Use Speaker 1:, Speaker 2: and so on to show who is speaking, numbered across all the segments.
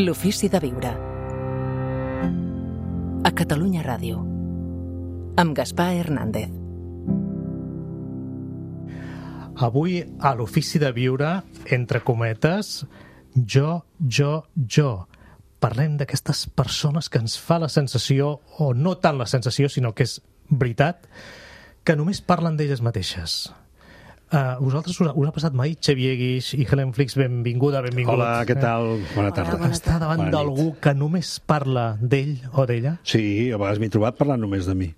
Speaker 1: L'ofici de viure. A Catalunya Ràdio. Amb Gaspar Hernández.
Speaker 2: Avui, a l'ofici de viure, entre cometes, jo. Parlem d'aquestes persones que ens fa la sensació, o no tant la sensació, sinó que és veritat, que només parlen d'elles mateixes. Vosaltres us ha passat mai? Xavier Guix i Helen Flix, benvinguda, benvingut.
Speaker 3: Hola, què tal? Bona tarda.
Speaker 2: Està davant d'algú que només parla d'ell o d'ella?
Speaker 3: Sí, a vegades m'he trobat parlant només de mi.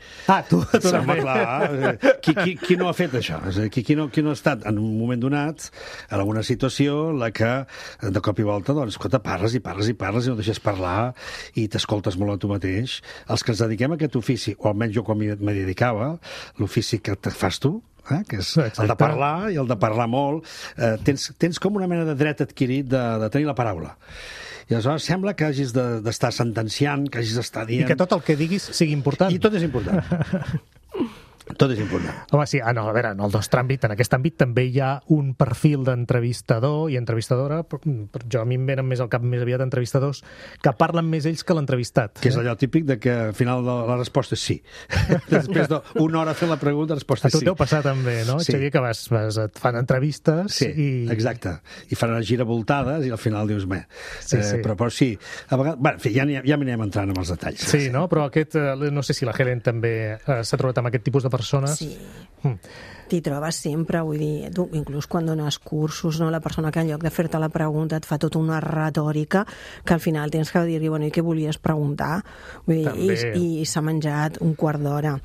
Speaker 2: Tu
Speaker 3: Home, clar, qui no ha fet això? És a dir, qui no ha estat en un moment donat en alguna situació en la que de cop i volta, doncs, escolta, parles i no deixes parlar i t'escoltes molt a tu mateix. Els que ens dediquem a aquest ofici, o almenys jo quan m'hi dedicava, l'ofici que te fas tu, que és el de parlar, i el de parlar molt, tens com una mena de dret adquirit de tenir la paraula. I aleshores sembla que hagis d'estar sentenciant, que hagis d'estar dient...
Speaker 2: I que tot el que diguis sigui important.
Speaker 3: I tot és important. Tot és important.
Speaker 2: Home, sí, a veure, en el nostre àmbit, en aquest àmbit també hi ha un perfil d'entrevistador i entrevistadora, a mi em venen més al cap més aviat entrevistadors que parlen més ells que l'entrevistat.
Speaker 3: Que és allò típic de que al final la resposta és sí. Després d'una hora fent la pregunta, la resposta és sí.
Speaker 2: A tu t'ho passa també, no?
Speaker 3: Sí.
Speaker 2: Xavier, que et fan entrevistes
Speaker 3: sí, exacte. I fan unes giravoltades i al final dius, però sí. A vegades, en fi, ja m'anem entrant amb els detalls.
Speaker 2: Sí, no? Però no sé si la Helen també s'ha trobat amb aquest tipus de persones.
Speaker 4: Sí, t'hi trobes sempre, vull dir, tu, inclús quan dones cursos, no? La persona que en lloc de fer-te la pregunta et fa tota una retòrica que al final tens que dir-li, bueno, i què volies preguntar? Vull dir, i s'ha menjat un quart d'hora.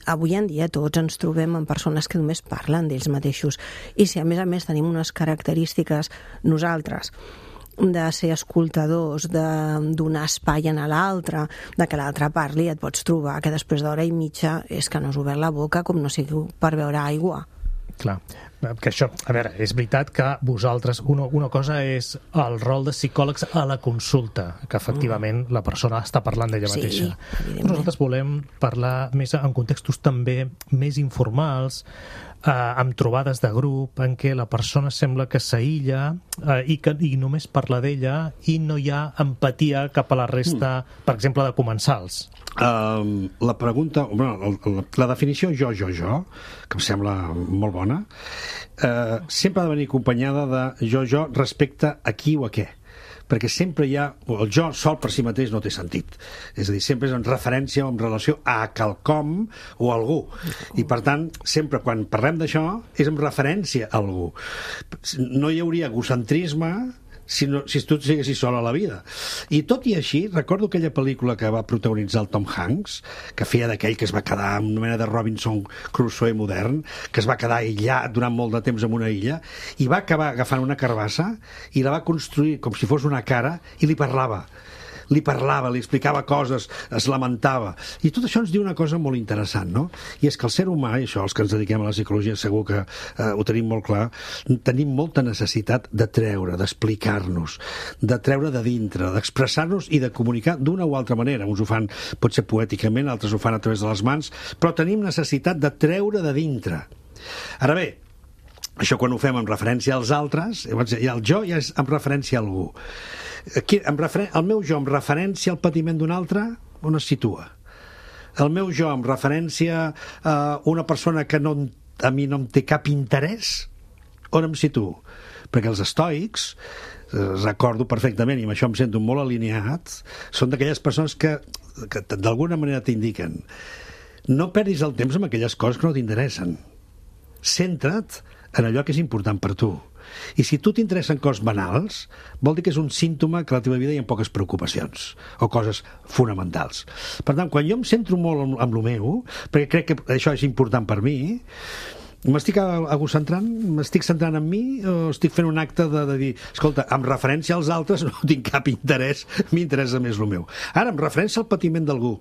Speaker 4: Avui en dia tots ens trobem amb persones que només parlen d'ells mateixos, i si a més tenim unes característiques nosaltres de ser escoltadors, de donar espai a l'altre, de que l'altre parli, et pots trobar que després d'hora i mitja és que no has obert la boca com no sigui per beure aigua.
Speaker 2: Clar, que això, a veure, és veritat que vosaltres, una cosa és el rol de psicòlegs a la consulta, que efectivament la persona està parlant d'ella mateixa. Nosaltres volem parlar més en contextos també més informals, amb trobades de grup en què la persona sembla que s'aïlla i només parla d'ella i no hi ha empatia cap a la resta, per exemple, de comensals.
Speaker 3: La pregunta, la definició jo, que em sembla molt bona, sempre ha de venir acompanyada de jo respecte a qui o a què, perquè sempre hi ha... El jo sol per si mateix no té sentit. És a dir, sempre és en referència o en relació a quelcom o a algú. I, per tant, sempre quan parlem d'això és en referència a algú. No hi hauria egocentrisme si tu siguessis sol a la vida. I tot i així, recordo aquella pel·lícula que va protagonitzar el Tom Hanks, que feia d'aquell que es va quedar en una mena de Robinson Crusoe modern, que es va quedar aïllat durant molt de temps en una illa, i va acabar agafant una carbassa i la va construir com si fos una cara i li parlava, li explicava coses, es lamentava. I tot això ens diu una cosa molt interessant, no? I és que el ser humà, i això els que ens dediquem a la psicologia segur que ho tenim molt clar, tenim molta necessitat de treure, d'explicar-nos, de treure de dintre, d'expressar-nos i de comunicar d'una o altra manera. Uns ho fan potser poèticament, altres ho fan a través de les mans, però tenim necessitat de treure de dintre. Ara bé, això quan ho fem en referència als altres, el jo ja és en referència a algú. El meu jo en referència al patiment d'un altre, on es situa? El meu jo en referència a una persona que a mi no em té cap interès, on em situo? Perquè els estoics, recordo perfectament, i amb això em sento molt alineat, són d'aquelles persones que d'alguna manera t'indiquen: no perdis el temps amb aquelles coses que no t'interessen. Centra't en allò que és important per tu. I si tu t'interessen coses banals, vol dir que és un símptoma que a la teva vida hi ha poques preocupacions o coses fonamentals. Per tant, quan jo em centro molt amb lo meu, perquè crec que això és important per mi, m'estic egocentrant? M'estic centrant en mi o estic fent un acte de dir, escolta, amb referència als altres no tinc cap interès, m'interessa més lo meu. Ara, amb referència al patiment d'algú,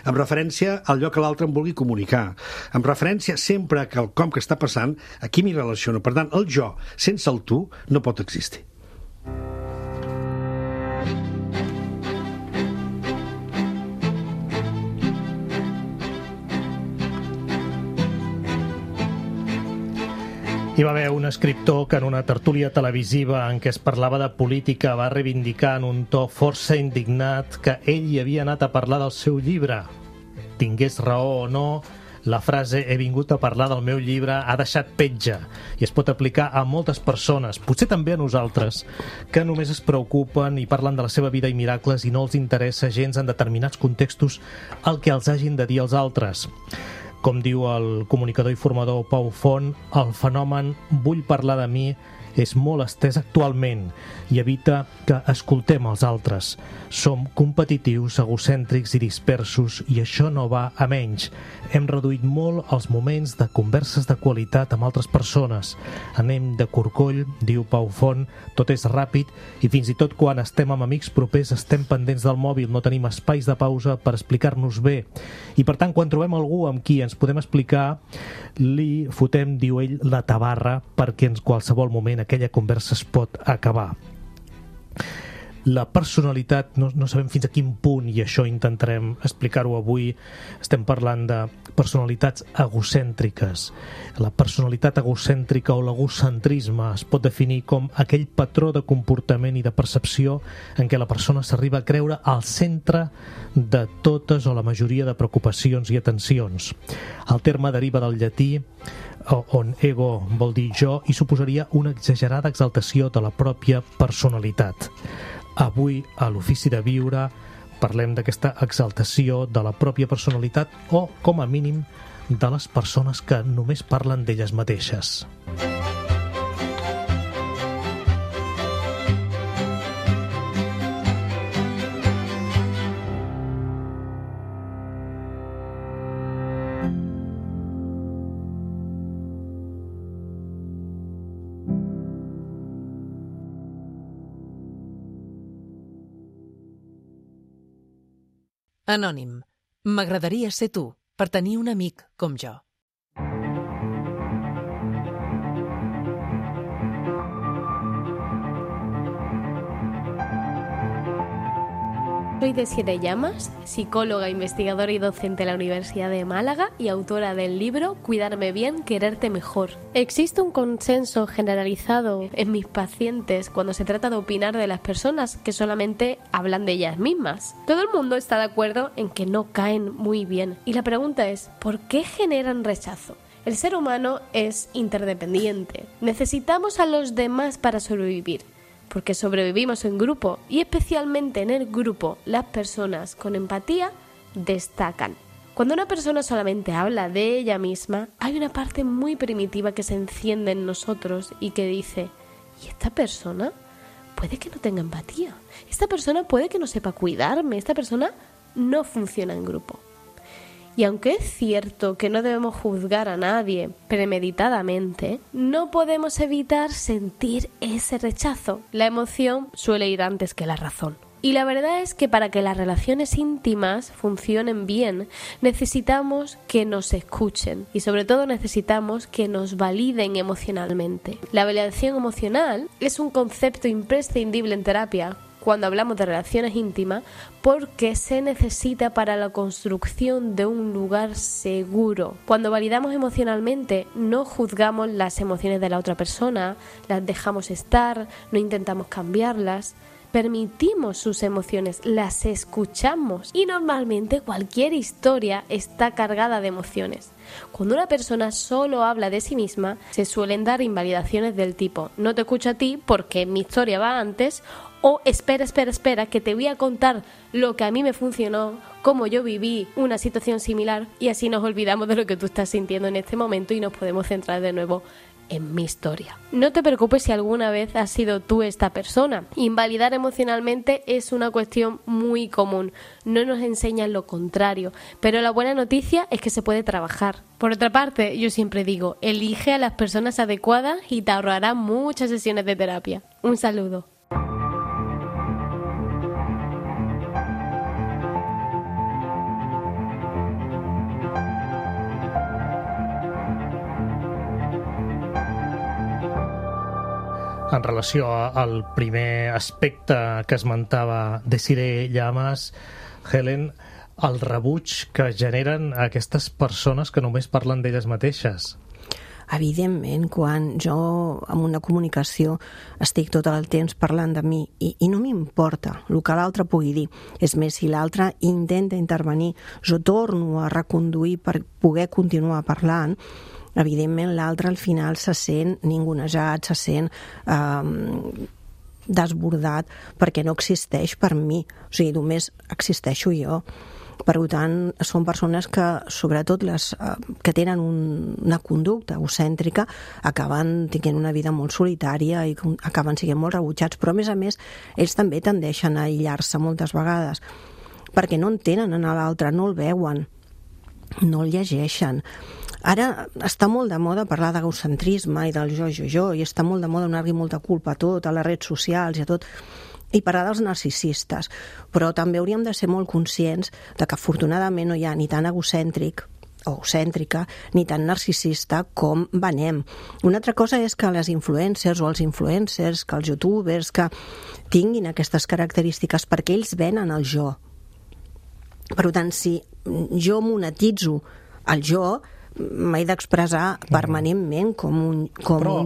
Speaker 3: amb referència al lloc que l'altre em vulgui comunicar, amb referència sempre a quelcom que està passant, aquí m'hi relaciono. Per tant, el jo sense el tu no pot existir.
Speaker 2: Hi va haver un escriptor que en una tertúlia televisiva en què es parlava de política va reivindicar en un to força indignat que ell hi havia anat a parlar del seu llibre. Tingués raó o no, la frase "he vingut a parlar del meu llibre" ha deixat petja i es pot aplicar a moltes persones, potser també a nosaltres, que només es preocupen i parlen de la seva vida i miracles i no els interessa gens en determinats contextos el que els hagin de dir els altres. Com diu el comunicador i formador Pau Font, el fenomen "vull parlar de mi" és molt estès actualment i evita que escoltem els altres. Som competitius, egocèntrics i dispersos i això no va a menys. Hem reduït molt els moments de converses de qualitat amb altres persones. Anem de corcoll, diu Pau Font, tot és ràpid i fins i tot quan estem amb amics propers estem pendents del mòbil, no tenim espais de pausa per explicar-nos bé. I per tant, quan trobem algú amb qui ens podem explicar, li fotem, diu ell, la tabarra perquè en qualsevol moment aquella conversa es pot acabar. La personalitat, no sabem fins a quin punt, i això intentarem explicar-ho avui, estem parlant de personalitats egocèntriques. La personalitat egocèntrica o l'egocentrisme es pot definir com aquell patró de comportament i de percepció en què la persona s'arriba a creure al centre de totes o la majoria de preocupacions i atencions. El terme deriva del llatí, on ego vol dir jo, i suposaria una exagerada exaltació de la pròpia personalitat. Avui, a l'Ofici de Viure, parlem d'aquesta exaltació de la pròpia personalitat o, com a mínim, de les persones que només parlen d'elles mateixes.
Speaker 1: Anònim. M'agradaria ser tu, per tenir un amic com jo.
Speaker 5: Soy Desiree Llamas, psicóloga, investigadora y docente en la Universidad de Málaga y autora del libro Cuidarme bien, quererte mejor. Existe un consenso generalizado en mis pacientes cuando se trata de opinar de las personas que solamente hablan de ellas mismas. Todo el mundo está de acuerdo en que no caen muy bien. Y la pregunta es, ¿por qué generan rechazo? El ser humano es interdependiente. Necesitamos a los demás para sobrevivir. Porque sobrevivimos en grupo y especialmente en el grupo las personas con empatía destacan. Cuando una persona solamente habla de ella misma, hay una parte muy primitiva que se enciende en nosotros y que dice, ¿y esta persona? Puede que no tenga empatía, esta persona puede que no sepa cuidarme, esta persona no funciona en grupo. Y aunque es cierto que no debemos juzgar a nadie premeditadamente, no podemos evitar sentir ese rechazo. La emoción suele ir antes que la razón. Y la verdad es que para que las relaciones íntimas funcionen bien, necesitamos que nos escuchen y sobre todo necesitamos que nos validen emocionalmente. La validación emocional es un concepto imprescindible en terapia cuando hablamos de relaciones íntimas, porque se necesita para la construcción de un lugar seguro. Cuando validamos emocionalmente, no juzgamos las emociones de la otra persona, las dejamos estar, no intentamos cambiarlas, permitimos sus emociones, las escuchamos y normalmente cualquier historia está cargada de emociones. Cuando una persona solo habla de sí misma, se suelen dar invalidaciones del tipo no te escucho a ti porque mi historia va antes, o espera, que te voy a contar lo que a mí me funcionó, cómo yo viví una situación similar, y así nos olvidamos de lo que tú estás sintiendo en este momento y nos podemos centrar de nuevo en mi historia. No te preocupes si alguna vez has sido tú esta persona. Invalidar emocionalmente es una cuestión muy común. No nos enseñan lo contrario, pero la buena noticia es que se puede trabajar. Por otra parte, yo siempre digo, elige a las personas adecuadas y te ahorrará muchas sesiones de terapia. Un saludo.
Speaker 2: En relació al primer aspecte que esmentava Desiree Llamas, Helen, el rebuig que generen aquestes persones que només parlen d'elles mateixes.
Speaker 4: evidentment, quan jo en una comunicació estic tot el temps parlant de mi i no m'importa el que l'altre pugui dir. És més, si l'altre intenta intervenir, jo torno a reconduir per poder continuar parlant, evidentment l'altre al final se sent ningunejat, se sent desbordat, perquè no existeix per mi, o sigui, només existeixo jo. Per tant, són persones que, sobretot les que tenen una conducta egocèntrica, acaben tenint una vida molt solitària i acaben sent molt rebutjats, però a més, ells també tendeixen a aïllar-se moltes vegades, perquè no entenen a l'altre, no el veuen, no el llegeixen. Ara està molt de moda parlar d'egocentrisme i del jo, i està molt de moda donar-li molta culpa a tot, a les redes socials i a tot, i parlar dels narcisistes, però també hauríem de ser molt conscients de que afortunadament no hi ha ni tan egocèntric o egocèntrica, ni tan narcisista com venem. Una altra cosa és que les influencers o els influencers, que els youtubers, que tinguin aquestes característiques, perquè ells venen el jo. Per tant, si jo monetitzo el jo, m'he d'expressar permanentment com un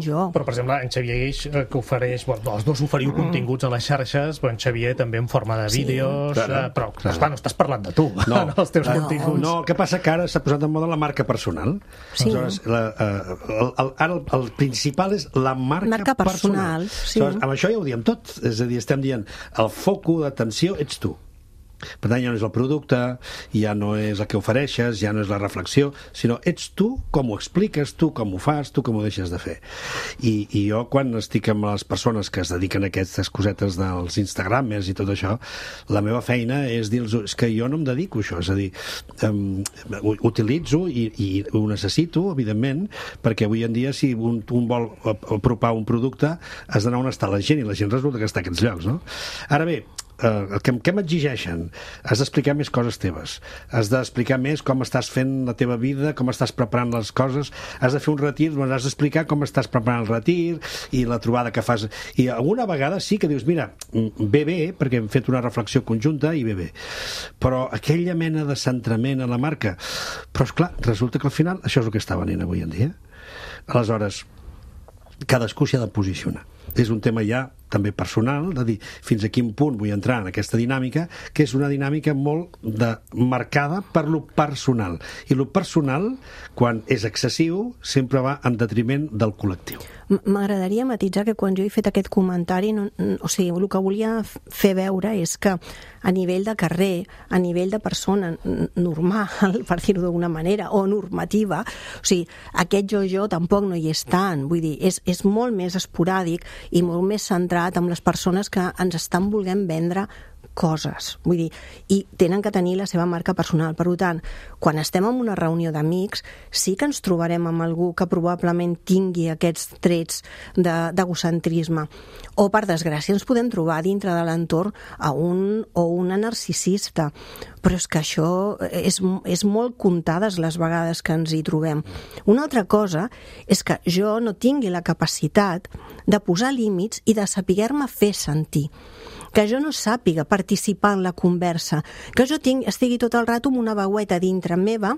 Speaker 4: jo.
Speaker 2: Però, per exemple, en Xavier Guix, que ofereix... Bueno, els dos oferiu continguts a les xarxes, però en Xavier també en forma de vídeos... Però, esclar, no estàs parlant de tu, en els teus continguts.
Speaker 3: No, el que passa que ara s'ha posat en moda la marca personal.
Speaker 4: Sí.
Speaker 3: Aleshores, ara el principal és la marca personal.
Speaker 4: Sí.
Speaker 3: Aleshores, amb això ja ho diem tot. És a dir, estem dient, el focus d'atenció ets tu. Per tant, ja no és el producte, ja no és el que ofereixes, ja no és la reflexió, sinó ets tu com ho expliques, tu com ho fas, tu com ho deixes de fer. I jo, quan estic amb les persones que es dediquen a aquestes cosetes dels Instagramers i tot això, la meva feina és dir-los, és que jo no em dedico a això, és a dir, ho utilitzo i ho necessito, evidentment, perquè avui en dia, si un vol apropar un producte, has d'anar on està la gent, i la gent resulta que està a aquests llocs, no? Ara bé, què m'exigeixen? Has d'explicar més coses teves, has d'explicar més com estàs fent la teva vida, com estàs preparant les coses, has de fer un retir, doncs has d'explicar com estàs preparant el retir i la trobada que fas, i alguna vegada sí que dius, mira, ve bé, perquè hem fet una reflexió conjunta i ve bé, però aquella mena de centrament a la marca, però esclar, resulta que al final això és el que està venint avui en dia. Aleshores, cadascú s'hi ha de posicionar. És un tema ja també personal, de dir fins a quin punt vull entrar en aquesta dinàmica, que és una dinàmica molt marcada per lo personal. I lo personal, quan és excessiu, sempre va en detriment del col·lectiu.
Speaker 4: M'agradaria matisar que quan jo he fet aquest comentari, o sigui, el que volia fer veure és que a nivell de carrer, a nivell de persona normal, per dir-ho d'alguna manera, o normativa, o sigui, aquest jo tampoc no hi és tant, vull dir, és molt més esporàdic i molt més centrat amb les persones que ens estan volent vendre coses, vull dir, i tenen que tenir la seva marca personal. Per tant, quan estem en una reunió d'amics, sí que ens trobarem amb algú que probablement tingui aquests trets d'egocentrisme, o per desgràcia ens podem trobar dintre de l'entorn a un o una narcisista, però és que això és molt comptades les vegades que ens hi trobem. Una altra cosa és que jo no tingui la capacitat de posar límits i de saber-me fer sentir, que jo no sàpiga participar en la conversa, que jo estigui tot el rato amb una veueta dintre meva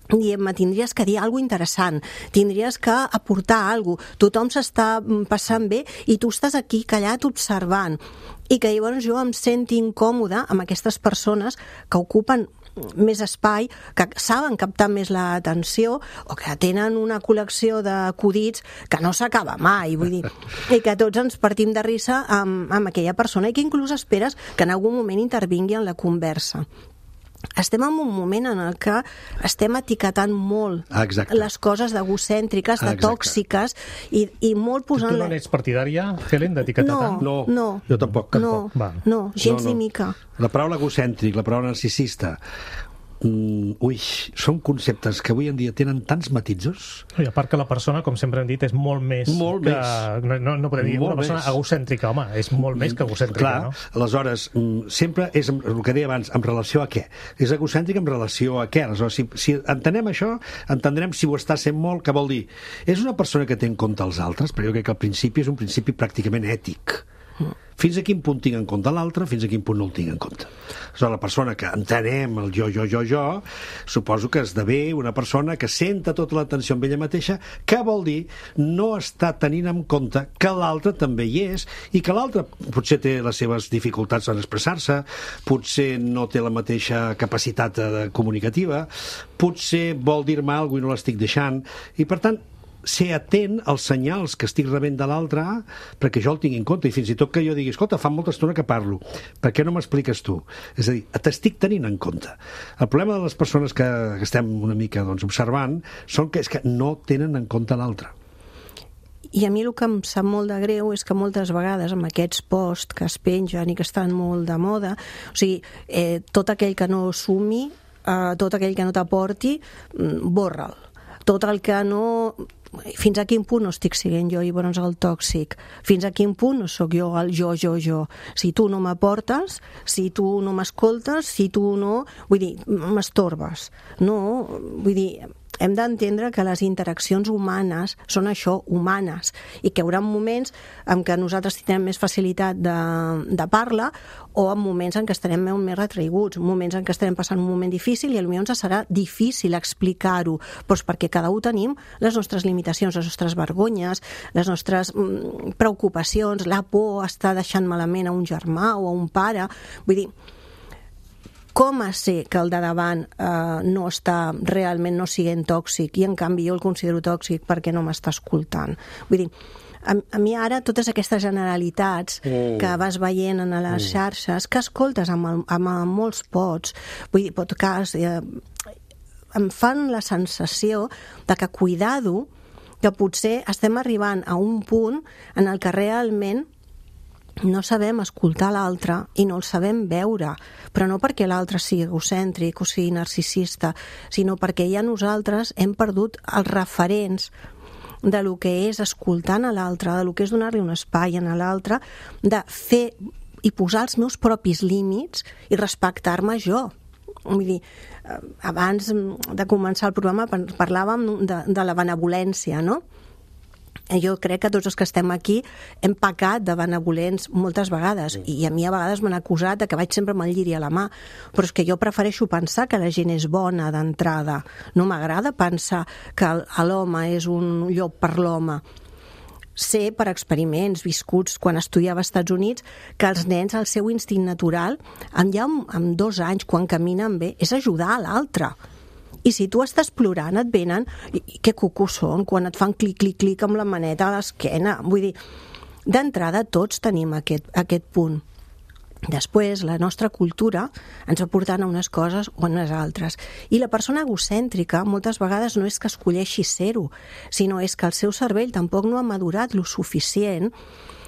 Speaker 4: dient-me, tindries que dir alguna cosa interessant, tindries que aportar alguna cosa, tothom s'està passant bé i tu estàs aquí callat observant, i que llavors jo em senti incòmoda amb aquestes persones que ocupen més espai, que saben captar més l'atenció o que tenen una col·lecció d'acudits que no s'acaba mai, vull dir, i que tots ens partim de risa amb aquella persona i que inclús esperes que en algun moment intervingui en la conversa. Estem en un moment en el que estem etiquetant molt les coses d'egocèntriques, de tòxiques, i molt posant...
Speaker 2: Tu no n'ets partidària, Helen, d'etiquetar tant?
Speaker 3: No, jo tampoc.
Speaker 4: No, gens ni mica.
Speaker 3: La paraula egocèntric, la paraula narcisista, són conceptes que avui en dia tenen tants matisos.
Speaker 2: I a part que la persona, com sempre hem dit, és molt més no podem dir una persona egocèntrica, home, és molt més que egocèntrica.
Speaker 3: Clar, no? Aleshores, sempre és el que deia abans, en relació a què? És egocèntric en relació a què? Aleshores, si entenem això, entendrem si ho està sent molt, què vol dir? És una persona que té en compte els altres, però jo crec que al principi és un principi pràcticament ètic. fins a quin punt tinc en compte l'altre, fins a quin punt no el tinc en compte. Aleshores, la persona que entenem el jo, suposo que esdevé una persona que senta tota l'atenció amb ella mateixa, que vol dir no està tenint en compte que l'altre també hi és i que l'altre potser té les seves dificultats en expressar-se, potser no té la mateixa capacitat comunicativa, potser vol dir-me alguna cosa i no l'estic deixant, i per tant ser atent als senyals que estic rebent de l'altre perquè jo el tingui en compte, i fins i tot que jo digui escolta, fa molta estona que parlo, per què no m'expliques tu? És a dir, t'estic tenint en compte. El problema de les persones que estem una mica observant és que no tenen en compte l'altre.
Speaker 4: I a mi el que em sap molt de greu és que moltes vegades amb aquests posts que es pengen i que estan molt de moda, o sigui, tot aquell que no sumi, tot aquell que no t'aporti, borra'l. Tot el que no... Fins a quin punt no estic sent jo llavors el tòxic? Fins a quin punt no sóc jo el jo? Si tu no m'aportes, si tu no m'escoltes, si tu no... Vull dir, m'estorbes. No, vull dir... Hem d'entendre que les interaccions humanes són això, humanes, i que hi haurà moments en què nosaltres tindrem més facilitat de parla o en moments en què estarem més retraiguts, moments en què estarem passant un moment difícil i potser ens serà difícil explicar-ho, doncs perquè cada un tenim les nostres limitacions, les nostres vergonyes, les nostres preocupacions, la por està deixant malament a un germà o a un pare. Vull dir, com a ser que el de davant no està realment no siguent tòxic i en canvi jo el considero tòxic perquè no m'està escoltant? Vull dir, a mi ara totes aquestes generalitats que vas veient en les xarxes, que escoltes amb molts vull dir, podcasts, em fan la sensació de que cuidado, que potser estem arribant a un punt en el que realment no sabem escoltar l'altre i no el sabem veure, però no perquè l'altre sigui egocèntric o sigui narcisista, sinó perquè ja nosaltres hem perdut els referents de lo que és escoltant a l'altre, de lo que és donar-li un espai a l'altre, de fer i posar els meus propis límits i respectar-me jo. Vull dir, abans de començar el programa parlàvem de la benevolència, no? Jo crec que tots els que estem aquí hem pecat de benevolents moltes vegades i a mi a vegades m'han acusat de que vaig sempre amb el lliri a la mà, però és que jo prefereixo pensar que la gent és bona d'entrada, no m'agrada pensar que l'home és un llop per l'home. Sé per experiments viscuts quan estudiava als Estats Units que els nens, el seu instint natural, ja amb 2 anys, quan caminen bé, és ajudar a l'altre. I si tu estàs plorant, et venen, i que cucos són, quan et fan clic amb la maneta a l'esquena. Vull dir, d'entrada tots tenim aquest punt. Després, la nostra cultura ens va portant a unes coses o a unes altres. I la persona egocèntrica moltes vegades no és que escolleixi ser-ho, sinó és que el seu cervell tampoc no ha madurat lo suficient,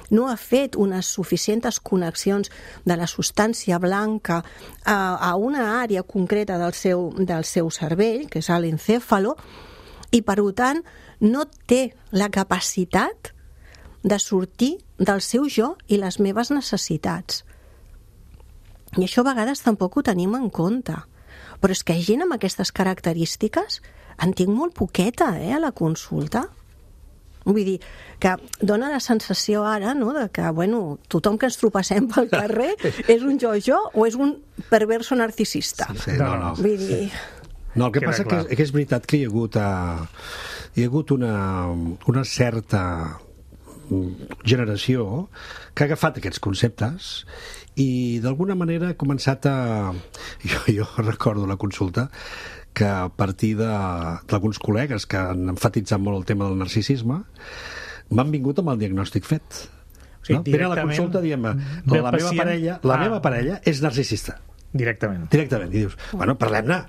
Speaker 4: no ha fet unes suficients connexions de la substància blanca a una àrea concreta del seu cervell, que és l'encèfalo, i per tant no té la capacitat de sortir del seu jo i les meves necessitats. I això a vegades tampoc ho tenim en compte. Però és que gent amb aquestes característiques en tinc molt poqueta, a la consulta. Vull dir, que dona la sensació ara, no?, de que, bueno, tothom que ens trobassem pel carrer és un jo o és un perverso narcisista.
Speaker 3: Sí, no.
Speaker 4: Vull dir...
Speaker 3: No, el que passa que és veritat que hi ha hagut una certa generació que ha agafat aquests conceptes i d'alguna manera ha començat a... Jo recordo la consulta que a partir d'alguns col·legues que han enfatitzat molt el tema del narcisisme m'han vingut amb el diagnòstic fet.
Speaker 2: O sigui,
Speaker 3: no? Vine a la consulta dient la meva parella és narcisista.
Speaker 2: Directament.
Speaker 3: I dius, bueno, parlem-ne.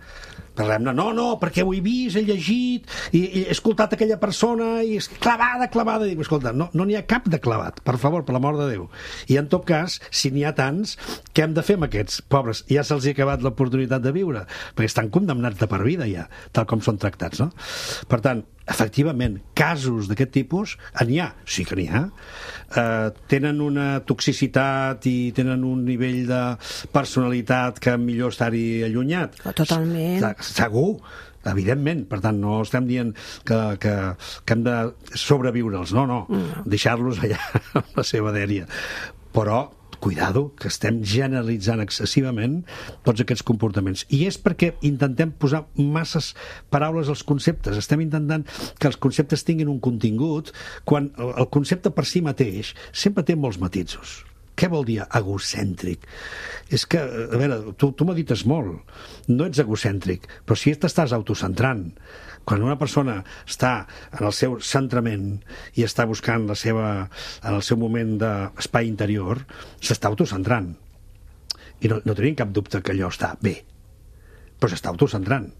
Speaker 3: No, perquè ho he vist, he llegit i he escoltat aquella persona i és clavada. I dic, escolta, no n'hi ha cap de clavat, per favor, per l'amor de Déu. I en tot cas, si n'hi ha tants, què hem de fer amb aquests pobres? Ja se'ls ha acabat l'oportunitat de viure, perquè estan condemnats de per vida ja, tal com són tractats, no? Per tant, efectivament, casos d'aquest tipus n'hi ha, sí que n'hi ha. Tenen una toxicitat i tenen un nivell de personalitat que millor estar-hi allunyat.
Speaker 4: Totalment.
Speaker 3: Segur, evidentment. Per tant, no estem dient que hem de sobreviure'ls, no. Deixar-los allà amb la seva dèria. però cuidado, que estem generalitzant excessivament tots aquests comportaments. I és perquè intentem posar masses paraules als conceptes. Estem intentant que els conceptes tinguin un contingut, quan el concepte per si mateix sempre té molts matisos. Què vol dir egocèntric? És que, a veure, tu medites molt, no ets egocèntric, però si t'estàs autocentrant. Quan una persona està en el seu centrament i està buscant en el seu moment d'espai interior, s'està autocentrant. I no tenim cap dubte que allò està bé, però s'està autocentrant.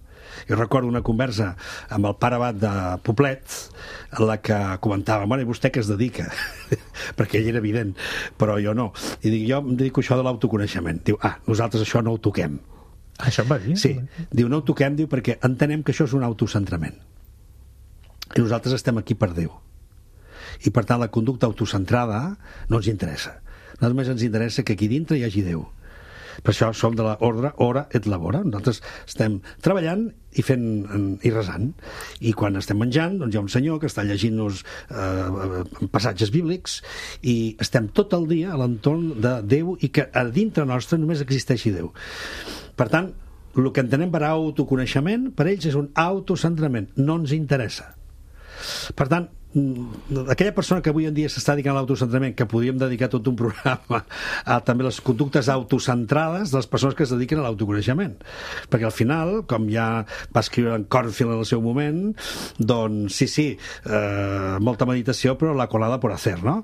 Speaker 3: Jo recordo una conversa amb el pare abat de Poblet en la que comentava, bueno, i vostè què es dedica? Perquè ell era evident, però jo no. I dic, jo em dedico a això de l'autoconeixement. Diu, nosaltres això no ho toquem.
Speaker 2: Això em va dir?
Speaker 3: Sí, diu, no ho toquem, diu, perquè entenem que això és un autocentrament. I nosaltres estem aquí per Déu. I per tant la conducta autocentrada no ens interessa. Només ens interessa que aquí dintre hi hagi Déu. Per això som de l'ordre ora et labora. Nosaltres estem treballant i fent i resant. I quan estem menjant, doncs hi ha un senyor que està llegint-nos passatges bíblics i estem tot el dia a l'entorn de Déu i que a dintre nostre només existeixi Déu. Per tant, el que entenem per autoconeixement, per ells és un autocentrament. No ens interessa. Per tant, aquella persona que avui en dia s'està dedicant a l'autocentrament, que podríem dedicar tot un programa a també les conductes autocentrades de les persones que es dediquen a l'autoconeixement, perquè al final, com ja va escriure en Cornfield en el seu moment, doncs sí, molta meditació però la colada por hacer, no?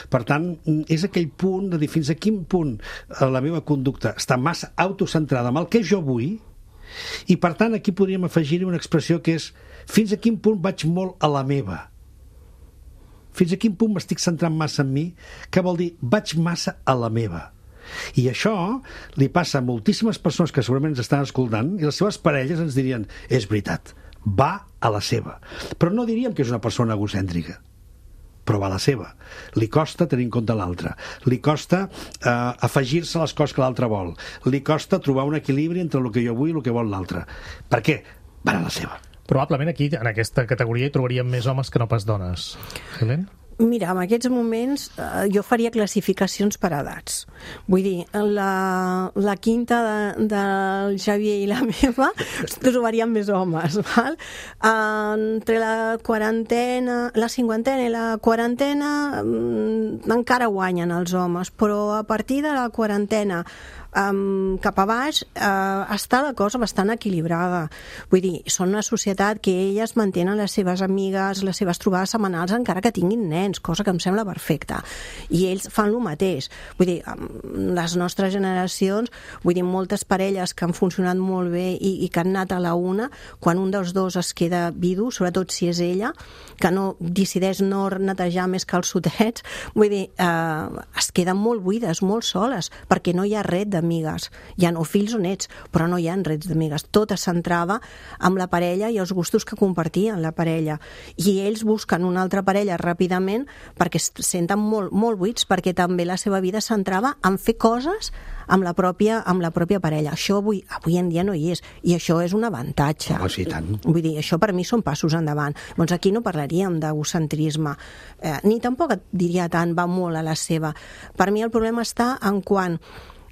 Speaker 3: Per tant, és aquell punt de dir fins a quin punt la meva conducta està massa autocentrada amb el que jo vull, i per tant aquí podríem afegir-hi una expressió que és fins a quin punt vaig molt a la meva. Fins a quin punt m'estic centrant massa en mi, que vol dir vaig massa a la meva. I això li passa a moltíssimes persones que segurament ens estan escoltant i les seves parelles ens dirien, és veritat, va a la seva. Però no diríem que és una persona egocèntrica, però va a la seva. Li costa tenir en compte l'altre, li costa afegir-se a les coses que l'altre vol, li costa trobar un equilibri entre el que jo vull i el que vol l'altre. Per què? Va a la seva.
Speaker 2: Probablement aquí, en aquesta categoria, hi trobaríem més homes que no pas dones. Helen?
Speaker 4: Mira, en aquests moments jo faria classificacions per edats. Vull dir, la quinta del Xavier i la meva trobaríem més homes, val? Entre la cinquantena i la quarantena encara guanyen els homes, però a partir de la quarantena cap a baix està la cosa bastant equilibrada. Vull dir, són una societat que elles mantenen les seves amigues, les seves trobades setmanals encara que tinguin nens, cosa que em sembla perfecta. I ells fan el mateix. Vull dir, les nostres generacions, vull dir, moltes parelles que han funcionat molt bé i que han anat a la una, quan un dels dos es queda vidu, sobretot si és ella, que no decideix no netejar més que els sotets, vull dir, es queden molt buides, molt soles, perquè no hi ha ret d'amigues. Hi ha fills o nets, però no hi ha rets d'amigues. Tot es centrava amb la parella i els gustos que compartien la parella. I ells busquen una altra parella ràpidament perquè es senten molt, molt buits, perquè també la seva vida es centrava en fer coses amb la pròpia parella. Això avui en dia no hi és, i això és un avantatge.
Speaker 3: Oh, sí, tant.
Speaker 4: Vull dir, això per mi són passos endavant. Doncs aquí no parlaríem d'egocentrisme, ni tampoc et diria tant va molt a la seva. Per mi el problema està en quan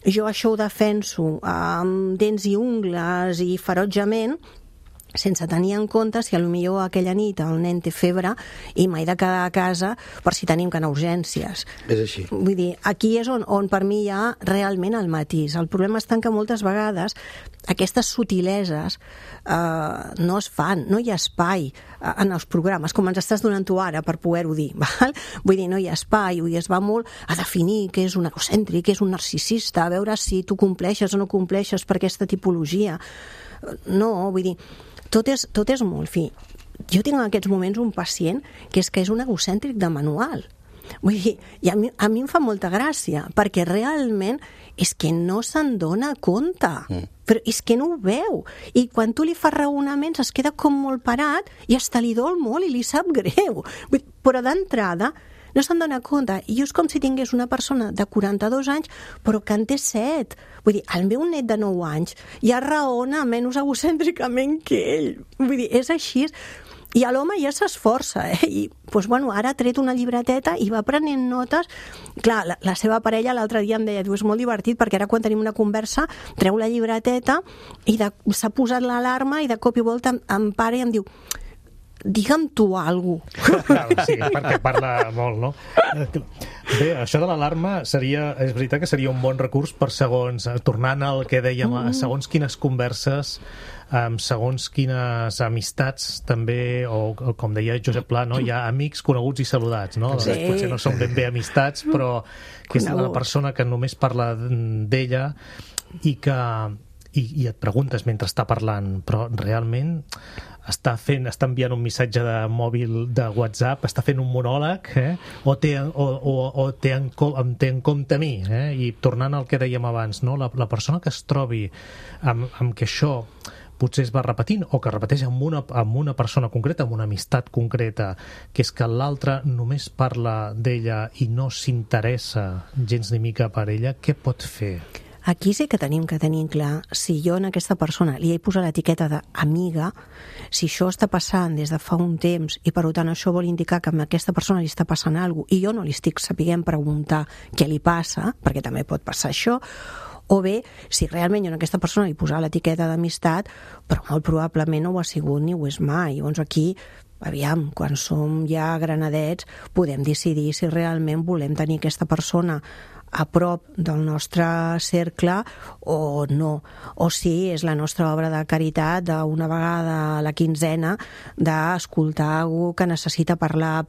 Speaker 4: jo això ho defenso amb dents i ungles i ferotgement, sense tenir en compte si potser aquella nit el nen té febre i m'he de quedar a casa per si tenim que anar a urgències.
Speaker 3: És així.
Speaker 4: Vull dir, aquí és on per mi hi ha realment el matís. El problema està en que moltes vegades aquestes subtileses no es fan, no hi ha espai en els programes, com ens estàs donant tu ara per poder-ho dir, val? Vull dir, no hi ha espai, i es va molt a definir què és un egocèntric, què és un narcisista, a veure si tu compleixes o no compleixes per aquesta tipologia. No, vull dir, tot és molt fi. Jo tinc en aquests moments un pacient que és un egocèntric de manual. Vull dir, i a mi em fa molta gràcia, perquè realment és que no se'n dona compte. Però és que no ho veu. I quan tu li fas raonaments es queda com molt parat i hasta li dol molt i li sap greu. Però d'entrada no se'n dona compte. I és com si tingués una persona de 42 anys, però que en té 7. Vull dir, el meu net de 9 anys ja raona menys egocèntricament que ell. Vull dir, és així. I l'home ja s'esforça, i doncs, bueno, ara ha tret una llibreteta i va prenent notes. Clar, la seva parella l'altre dia em deia, diu, és molt divertit perquè ara quan tenim una conversa treu la llibreteta i s'ha posat l'alarma i de cop i volta em para i em diu, digue'm tu alguna cosa.
Speaker 2: Sí, perquè parla molt, no? Bé, això de l'alarma és veritat que seria un bon recurs per segons, tornant al que dèiem, segons quines converses, segons quines amistats també, o com deia Josep Pla, no? Hi ha amics, coneguts i saludats, no?
Speaker 4: Sí.
Speaker 2: Potser no són ben bé amistats, però que és la persona que només parla d'ella i et preguntes mentre està parlant, però realment està enviant un missatge de mòbil de WhatsApp, està fent un monòleg, o té en compte a mi, i tornant al que dèiem abans, no? La persona que es trobi amb que això potser es va repetint o que repeteix amb una persona concreta, amb una amistat concreta, que és que l'altre només parla d'ella i no s'interessa gens ni mica per ella, què pot fer?
Speaker 4: Aquí sí que tenim que tenir clar si jo en aquesta persona li he posat l'etiqueta d'amiga, si això està passant des de fa un temps i per tant això vol indicar que a aquesta persona li està passant alguna cosa i jo no li estic sapiguent preguntar què li passa, perquè també pot passar això, o bé, si realment jo a aquesta persona li posava l'etiqueta d'amistat, però molt probablement no ho ha sigut ni ho és mai. Llavors aquí, aviam, quan som ja granadets, podem decidir si realment volem tenir aquesta persona a prop del nostre cercle o no, o si és la nostra obra de caritat d'una vegada a la quinzena d'escoltar algú que necessita parlar.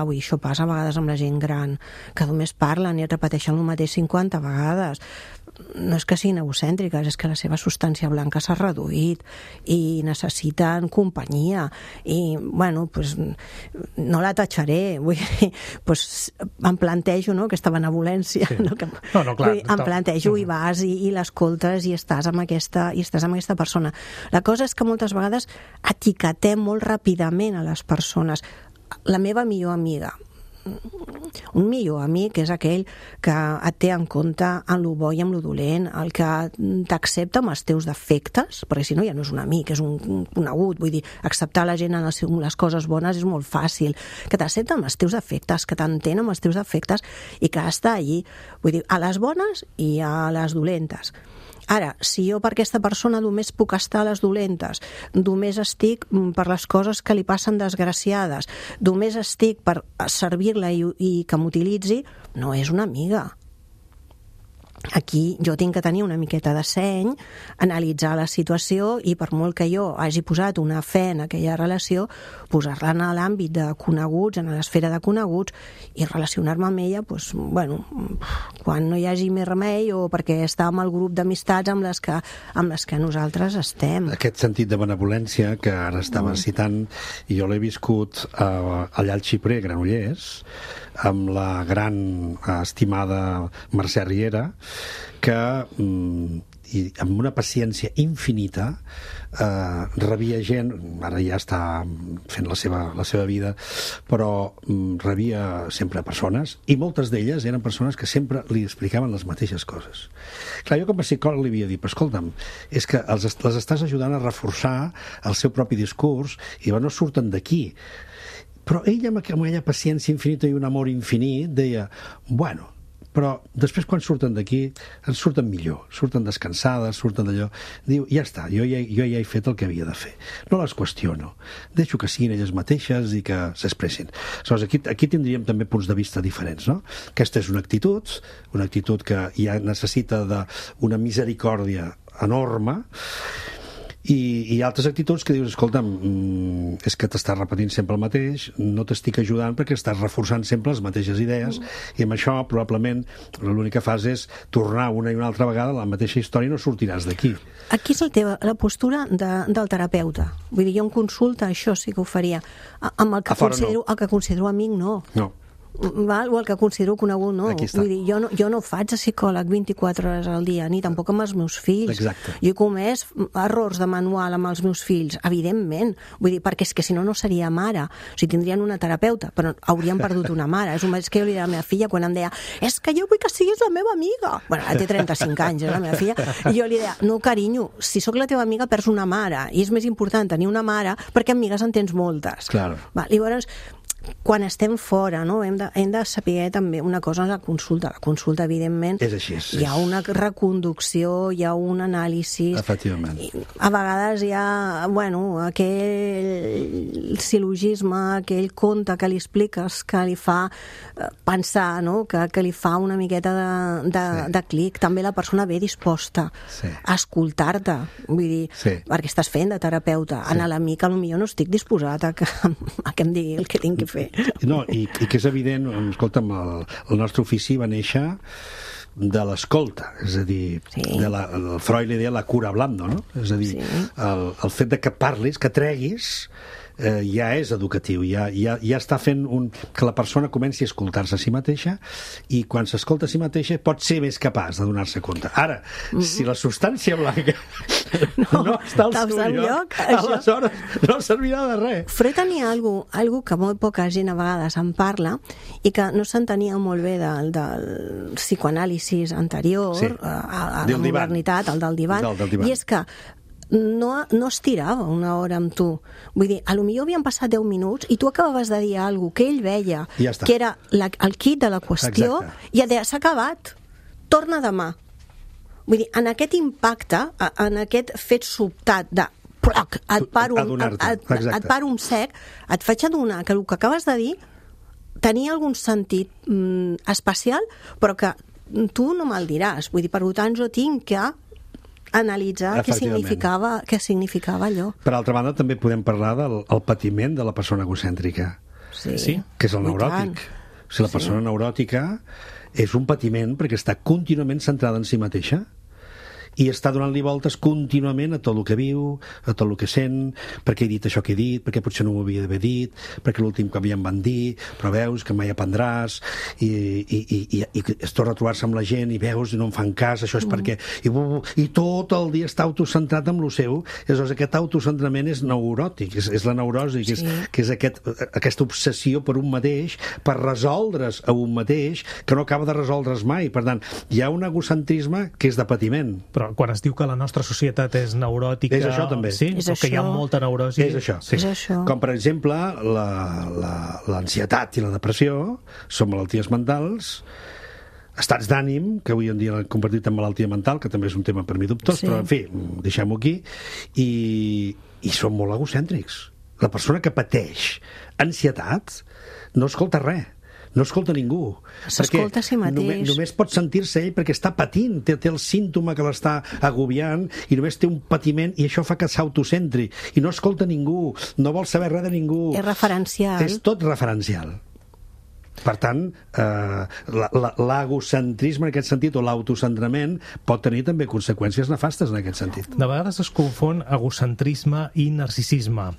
Speaker 4: Ui, això passa a vegades amb la gent gran, que només parlen i et repeteixen el mateix 50 vegades. No és que siguin egocèntriques, és que la seva substància blanca s'ha reduït i necessiten companyia i, bueno, pues, no la tatxaré, vull dir, pues, em plantejo, no?, aquesta benevolència, sí. No?
Speaker 2: Clar,
Speaker 4: em plantejo i vas i l'escoltes i estàs amb aquesta persona. La cosa és que moltes vegades etiquetem molt ràpidament a les persones. La meva millor amiga, un millor amic és aquell que et té en compte en lo bo i en lo dolent, el que t'accepta amb els teus defectes, perquè si no ja no és un amic, és un conegut. Vull dir, acceptar la gent en les coses bones és molt fàcil, que t'accepta amb els teus defectes, que t'entén amb els teus defectes i que està allí, vull dir, a les bones i a les dolentes. Ara, si jo per aquesta persona només puc estar a les dolentes, només estic per les coses que li passen desgraciades, només estic per servir-la i que m'utilitzi, no és una amiga. Aquí jo tinc que tenir una miqueta de seny, analitzar la situació i per molt que jo hagi posat una fe en aquella relació, posar-la en l'àmbit de coneguts, en l'esfera de coneguts i relacionar-me amb ella, doncs, bueno, quan no hi hagi més remei o perquè està amb el grup d'amistats amb les que nosaltres estem.
Speaker 3: Aquest sentit de benevolència que ara estava citant, i jo l'he viscut allà al Xiprer, Granollers, amb la gran estimada Mercè Riera, que i amb una paciència infinita rebia gent, ara ja està fent la seva vida, però rebia sempre persones, i moltes d'elles eren persones que sempre li explicaven les mateixes coses. Clar, jo com a psicòleg li havia dit, però escolta'm, és que les estàs ajudant a reforçar el seu propi discurs i no surten d'aquí. Però ella, amb aquella paciència infinita i un amor infinit, deia, bueno, però després quan surten d'aquí ens surten millor, surten descansades, surten d'allò. Diu, ja està, jo ja he fet el que havia de fer. No les qüestiono, deixo que siguin elles mateixes i que s'expressin. Aleshores, aquí tindríem també punts de vista diferents, no? Aquesta és una actitud que ja necessita d'una misericòrdia enorme, i altres actituds que dius, escolta'm, és que t'estàs repetint sempre el mateix, no t'estic ajudant perquè estàs reforçant sempre les mateixes idees, i amb això probablement l'únic que fas és tornar una i una altra vegada a la mateixa història i no sortiràs d'aquí.
Speaker 4: Aquí és la postura del terapeuta. Vull dir, jo en consulta això sí que ho faria. Amb el que considero amic, no.
Speaker 3: No.
Speaker 4: val? O el que considero conegut, no? Vull dir, jo no faig de psicòleg 24 hores al dia, ni tampoc amb els meus fills.
Speaker 3: Exacte.
Speaker 4: Jo he comès errors de manual amb els meus fills, evidentment. Vull dir, perquè és que si no, no seria mare. O sigui, tindrien una terapeuta, però haurien perdut una mare. És un mateix que jo li deia a la meva filla quan em deia és que jo vull que siguis la meva amiga. Bueno, ara té 35 anys, la meva filla. I jo li deia, no, carinyo, si sóc la teva amiga perds una mare. I és més important tenir una mare perquè amigues en tens moltes.
Speaker 3: Claro.
Speaker 4: Va, llavors, quan estem fora, no? hem de saber també una cosa, la consulta. La consulta, evidentment,
Speaker 3: és així,
Speaker 4: hi ha una reconducció, hi ha un anàlisi.
Speaker 3: Efectivament.
Speaker 4: A vegades hi ha, bueno, aquell sil·logisme, aquell conte que li expliques que li fa pensar, no? que li fa una miqueta de clic. També la persona ve disposta a escoltar-te, vull dir, perquè estàs fent de terapeuta. En l'amic, potser no estic disposat a que em digui el que tinc que fer.
Speaker 3: No, i que és evident, escolta'm, el nostre ofici va néixer de l'escolta, és a dir, el Freud li deia la cura hablando, no? És a dir, el fet de que parlis, que treguis, ja és educatiu, ja està fent que la persona comenci a escoltar-se a si mateixa, i quan s'escolta a si mateixa pot ser més capaç de donar-se compte. Ara, si la substància blanca no està al seu lloc, aleshores no servirà de res.
Speaker 4: Freud tenia algo que molt poca gent a vegades en parla i que no s'entenia molt bé del psicoanàlisi anterior, a la modernitat, el del divan, i és que no estirava una hora amb tu. Vull dir, potser havien passat 10 minuts i tu acabaves de dir alguna cosa que ell veia, que era el quid de la qüestió, i et deia, s'ha acabat, torna demà. Vull dir, en aquest impacte, en aquest fet sobtat de et paro un sec, et faig adonar que el que acabes de dir tenia algun sentit especial, però que tu no me'l diràs. Vull dir, per tant, jo tinc que analitzar què significava allò.
Speaker 3: Per altra banda, també podem parlar del patiment de la persona egocèntrica, que és el neuròtic. O sigui, la persona neuròtica és un patiment perquè està contínuament centrada en si mateixa i està donant-li voltes contínuament a tot el que viu, a tot el que sent, perquè he dit això que he dit, perquè potser no m'ho havia d'haver dit, perquè l'últim cop ja em van dir, però veus que mai aprendràs, i es torna a trobar-se amb la gent, i veus, i no em fan cas, això és perquè... I tot el dia està autocentrat amb lo seu, aleshores aquest autocentrament és neuròtic, és la neurosi, que és aquesta obsessió per un mateix, per resoldre's a un mateix, que no acaba de resoldre's mai. Per tant, hi ha un egocentrisme que és de patiment.
Speaker 2: Però quan es diu que la nostra societat és neuròtica...
Speaker 3: És això, també.
Speaker 2: Sí?
Speaker 4: És
Speaker 2: que hi ha molta neurosi.
Speaker 3: És això.
Speaker 4: És això.
Speaker 3: Com, per exemple, l'ansietat i la depressió són malalties mentals, estats d'ànim, que avui en dia l'han convertit en malaltia mental, que també és un tema per mi dubtós, però, en fi, deixem-ho aquí, i són molt egocèntrics. La persona que pateix ansietat no escolta res. No escolta ningú.
Speaker 4: S'escolta a si mateix.
Speaker 3: Només pot sentir-se ell perquè està patint, té el símptoma que l'està agobiant i només té un patiment i això fa que s'autocentri. I no escolta ningú, no vol saber res de ningú.
Speaker 4: És referencial.
Speaker 3: És tot referencial. Per tant, l'egocentrisme en aquest sentit o l'autocentrament pot tenir també conseqüències nefastes en aquest sentit.
Speaker 2: De vegades es confon egocentrisme i narcisisme.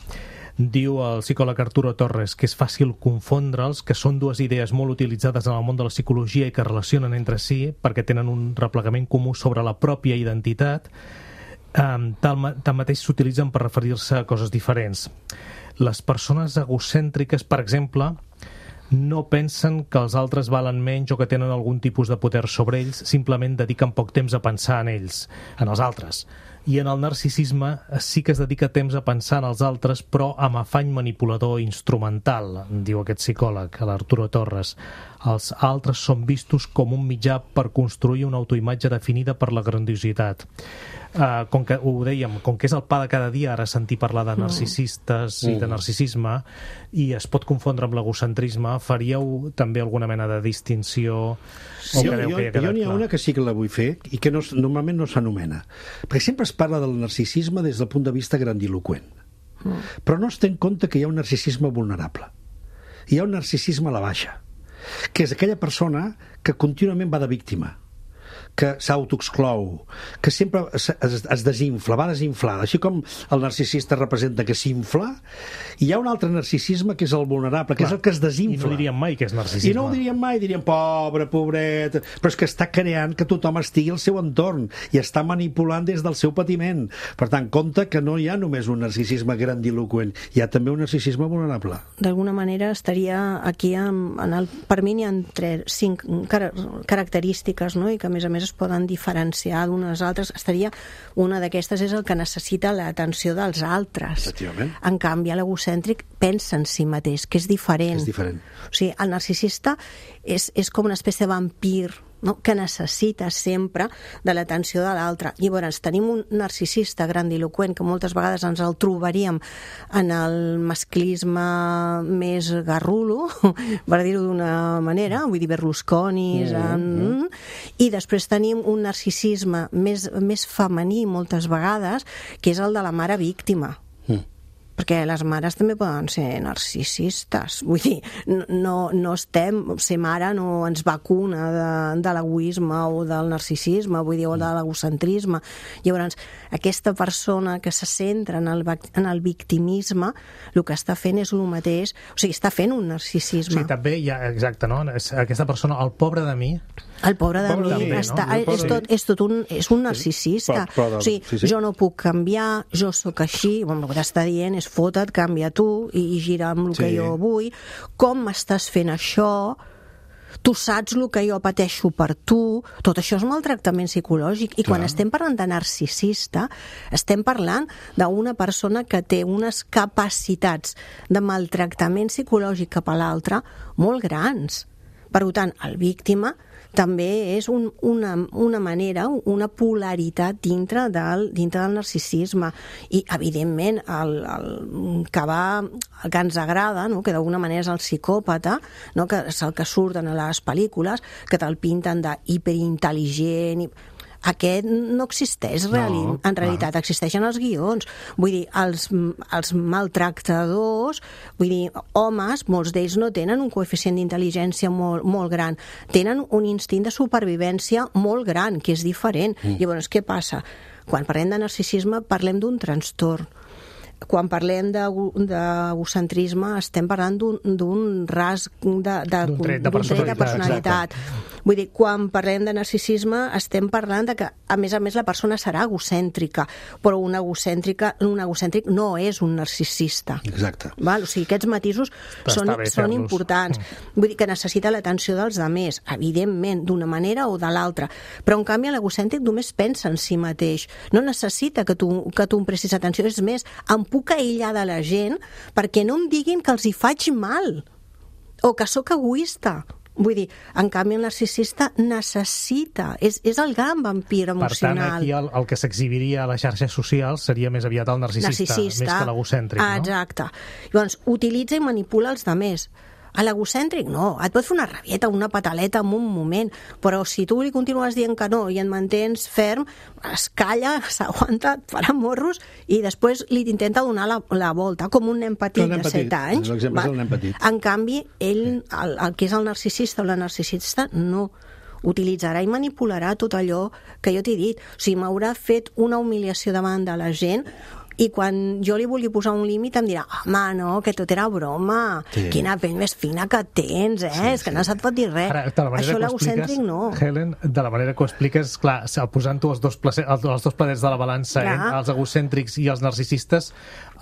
Speaker 2: Diu el psicòleg Arturo Torres que és fàcil confondre'ls, que són dues idees molt utilitzades en el món de la psicologia i que relacionen entre si perquè tenen un replegament comú sobre la pròpia identitat, tanmateix s'utilitzen per referir-se a coses diferents. Les persones egocèntriques, per exemple, no pensen que els altres valen menys o que tenen algun tipus de poder sobre ells, simplement dediquen poc temps a pensar en ells, en els altres. I en el narcisisme sí que es dedica temps a pensar en els altres, però amb afany manipulador instrumental, diu aquest psicòleg, l'Arturo Torres. Els altres són vistos com un mitjà per construir una autoimatge definida per la grandiositat. Com que ho dèiem, com que és el pa de cada dia ara sentir parlar de narcisistes i de narcisisme, i es pot confondre amb l'egocentrisme, faríeu també alguna mena de distinció?
Speaker 3: Jo n'hi ha una que sí que la vull fer i que normalment no s'anomena, perquè sempre es parla del narcisisme des del punt de vista grandiloqüent, però no es té en compte que hi ha un narcisisme vulnerable, hi ha un narcisisme a la baixa, que és aquella persona que contínuament va de víctima, que s'autoexclou, que sempre es desinfla, va desinflada, així com el narcisista representa que s'infla, hi ha un altre narcisisme que és el vulnerable, que és el que es desinfla.
Speaker 2: I no diríem mai que és narcisisme.
Speaker 3: I no ho diríem mai, diríem pobre, pobret, però és que està creant que tothom estigui al seu entorn i està manipulant des del seu patiment. Per tant, compte que no hi ha només un narcisisme grandiloquent, hi ha també un narcisisme vulnerable.
Speaker 4: D'alguna manera estaria aquí, per mi n'hi ha 5 característiques, no? I que a més es poden diferenciar d'unes altres. Una d'aquestes és el que necessita l'atenció dels altres.
Speaker 3: Efectivament.
Speaker 4: En canvi, l'egocèntric pensa en si mateix, que és diferent.
Speaker 3: És diferent.
Speaker 4: O sigui, el narcisista és com una espècie de vampir, no? Que necessita sempre de l'atenció de l'altre. Llavors, tenim un narcisista grandiloquent que moltes vegades ens el trobaríem en el masclisme més garrulo, per dir-ho d'una manera, vull dir Berlusconi, i després tenim un narcisisme més femení moltes vegades, que és el de la mare víctima. Perquè les mares també poden ser narcisistes. Vull dir, ser mare no ens vacuna de l'egoisme o del narcisisme, vull dir, o de l'egocentrisme. Llavors, aquesta persona que se centra en el victimisme, el que està fent és el mateix, o sigui, està fent un narcisisme.
Speaker 2: Sí, també hi ha, exacte, no? Aquesta persona, el pobre de mi...
Speaker 4: El pobre de mi és un narcisista. O sigui, jo no puc canviar, jo sóc així, el que t'està dient és fota't, canvia tu i gira amb el que jo vull. Com m'estàs fent això? Tu saps el que jo pateixo per tu? Tot això és maltractament psicològic. I quan estem parlant de narcisista, estem parlant d'una persona que té unes capacitats de maltractament psicològic cap a l'altre molt grans. Per tant, el víctima també és una manera, una polaritat dintre del narcisisme. I, evidentment, el que ens agrada, no? Que d'alguna manera és el psicòpata, no? Que és el que surten a les pel·lícules, que te'l pinten d'hiperintel·ligent... Aquest no existeix en realitat, existeixen els guions. Vull dir, els maltractadors, vull dir, homes, molts d'ells no tenen un coeficient d'intel·ligència molt gran, tenen un instint de supervivència molt gran, que és diferent. Llavors, què passa? Quan parlem de narcisisme, parlem d'un trastorn. Quan parlem d'egocentrisme estem parlant d'un rasg d'un tret de personalitat. Vull dir, quan parlem de narcisisme estem parlant de que, a més, la persona serà egocèntrica, però un egocèntric no és un narcisista.
Speaker 3: Exacte.
Speaker 4: Val? O sigui, aquests matisos són importants. Vull dir que necessita l'atenció dels altres, evidentment, d'una manera o de l'altra. Però, en canvi, l'egocèntric només pensa en si mateix. No necessita que tu em prestis atenció. És més, em puc aïllar de la gent perquè no em diguin que els hi faig mal o que sóc egoista. Vull dir, en canvi el narcisista necessita, és el gran vampir emocional.
Speaker 2: Per tant, aquí el que s'exhibiria a les xarxes socials seria més aviat el narcisista. Més que l'egocèntric, no?
Speaker 4: Exacte. Llavors, utilitza i manipula els altres. A l'egocèntric no, et pot fer una rabieta, una pataleta en un moment, però si tu li continues dient que no i et mantens ferm, es calla, s'aguanta, et farà morros i després li intenta donar la volta, com un nen petit de 7 anys.
Speaker 3: L'exemple és el nen petit.
Speaker 4: En canvi, ell, el que és el narcisista o la narcisista, no. Utilitzarà i manipularà tot allò que jo t'he dit. O sigui, m'haurà fet una humiliació davant de la gent i quan jo li vulgui posar un límit em dirà, home, no, que tot era broma, quina pell més fina que tens, és que no se't pot dir res. Això l'egocèntric no.
Speaker 2: Helen, de la manera que ho expliques, clar, posant-ho els dos planets de la balança, els egocèntrics i els narcisistes,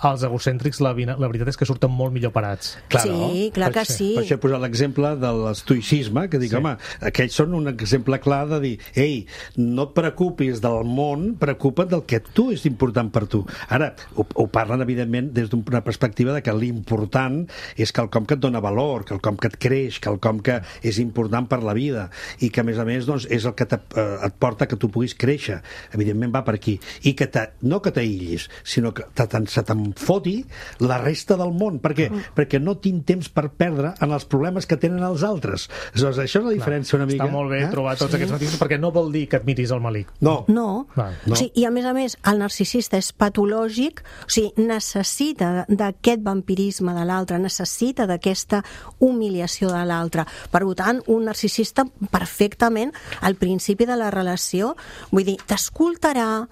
Speaker 2: els egocèntrics la veritat és que surten molt millor parats.
Speaker 4: Sí, clar que sí.
Speaker 3: Per això he posat l'exemple de l'estoïcisme, que dic, home, aquells són un exemple clar de dir, ei, no et preocupis del món, preocupa't del que tu és important per tu. Ara, ho parlen, evidentment, des d'una perspectiva de que l'important és quelcom que et dona valor, quelcom que et creix, quelcom que és important per la vida i que, a més, doncs, és el que et porta que tu puguis créixer. Evidentment va per aquí. I que no que t'aïllis, sinó que se te'n foti la resta del món. Per què? Perquè no tinc temps per perdre en els problemes que tenen els altres. Això és la diferència una mica.
Speaker 2: Està molt bé trobar tots aquests matisos, perquè no vol dir que et miris el malic.
Speaker 3: No.
Speaker 4: O sigui, i a més, el narcisista és patològic patològic, o sigui, necessita d'aquest vampirisme de l'altre, necessita d'aquesta humiliació de l'altre. Per tant, un narcisista perfectament al principi de la relació, vull dir, t'escoltarà,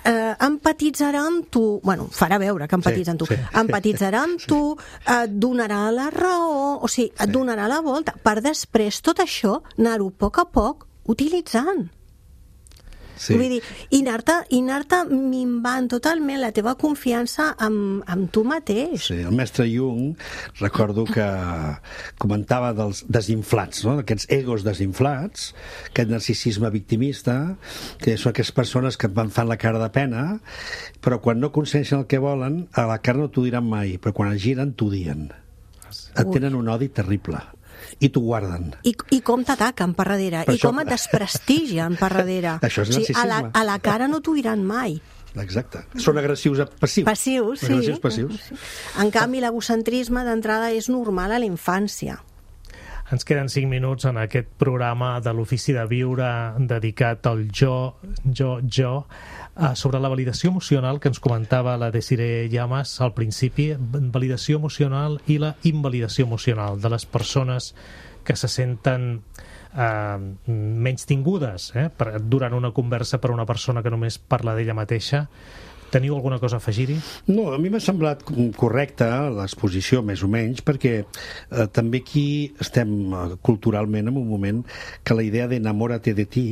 Speaker 4: empatitzarà amb tu, bueno, farà veure que empatitza amb tu, empatitzarà amb tu, et donarà la raó, o sigui, et donarà la volta, per després tot això anar-ho a poc utilitzant.
Speaker 3: Sí.
Speaker 4: Vull dir, i anar-te minvant totalment la teva confiança amb tu mateix.
Speaker 3: Sí, el mestre Jung, recordo que comentava dels desinflats, no? D'aquests egos desinflats, aquest narcisisme victimista, que són aquestes persones que et fan la cara de pena, però quan no aconsegueixen el que volen, a la cara no t'ho diran mai, però quan es giren t'ho dien. Et tenen un odi terrible. I t'ho guarden.
Speaker 4: I com t'ataquen per darrere, i com et desprestigien per darrere.
Speaker 3: Això és narcisisme.
Speaker 4: A la cara no t'ho diran mai.
Speaker 3: Exacte. Són agressius passius.
Speaker 4: Passius, sí.
Speaker 3: Agressius passius.
Speaker 4: En canvi, l'egocentrisme d'entrada és normal a la infància.
Speaker 2: Ens queden 5 minuts en aquest programa de l'Ofici de Viure dedicat al jo, sobre la validació emocional que ens comentava la Desiree Llamas al principi, validació emocional i la invalidació emocional de les persones que se senten menys tingudes durant una conversa per una persona que només parla d'ella mateixa. Teniu alguna cosa a afegir-hi?
Speaker 3: No, a mi m'ha semblat correcta l'exposició, més o menys, perquè també aquí estem culturalment en un moment que la idea d'enamórate de ti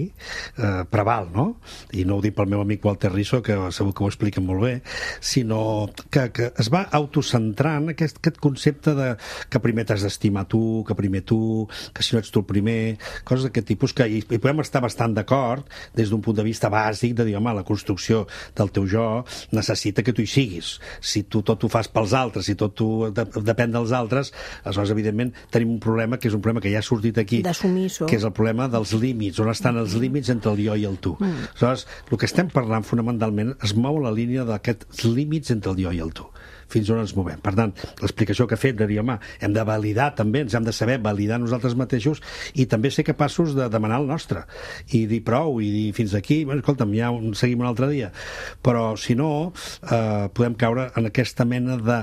Speaker 3: preval, no? I no ho dic pel meu amic Walter Rizzo, que segur que ho explica molt bé, sinó que es va autocentrant aquest concepte de que primer t'has d'estimar tu, que primer tu, que si no ets tu el primer, coses d'aquest tipus que hi podem estar bastant d'acord des d'un punt de vista bàsic de dir, home, la construcció del teu jo necessita que tu hi siguis. Si tu tot ho fas pels altres, si tot tu depèn dels altres, aleshores, evidentment, tenim un problema que és un problema que ja ha sortit aquí, que és el problema dels límits, on estan els límits entre el jo i el tu. Aleshores, el que estem parlant fonamentalment es mou la línia d'aquests límits entre el jo i el tu. Fins on ens movem. Per tant, l'explicació que ha fet de dir, home, hem de validar també, ens hem de saber validar nosaltres mateixos i també ser capaços de demanar el nostre i dir prou, i dir fins aquí, bueno, escolta'm, ja seguim un altre dia. Però, si no, podem caure en aquesta mena de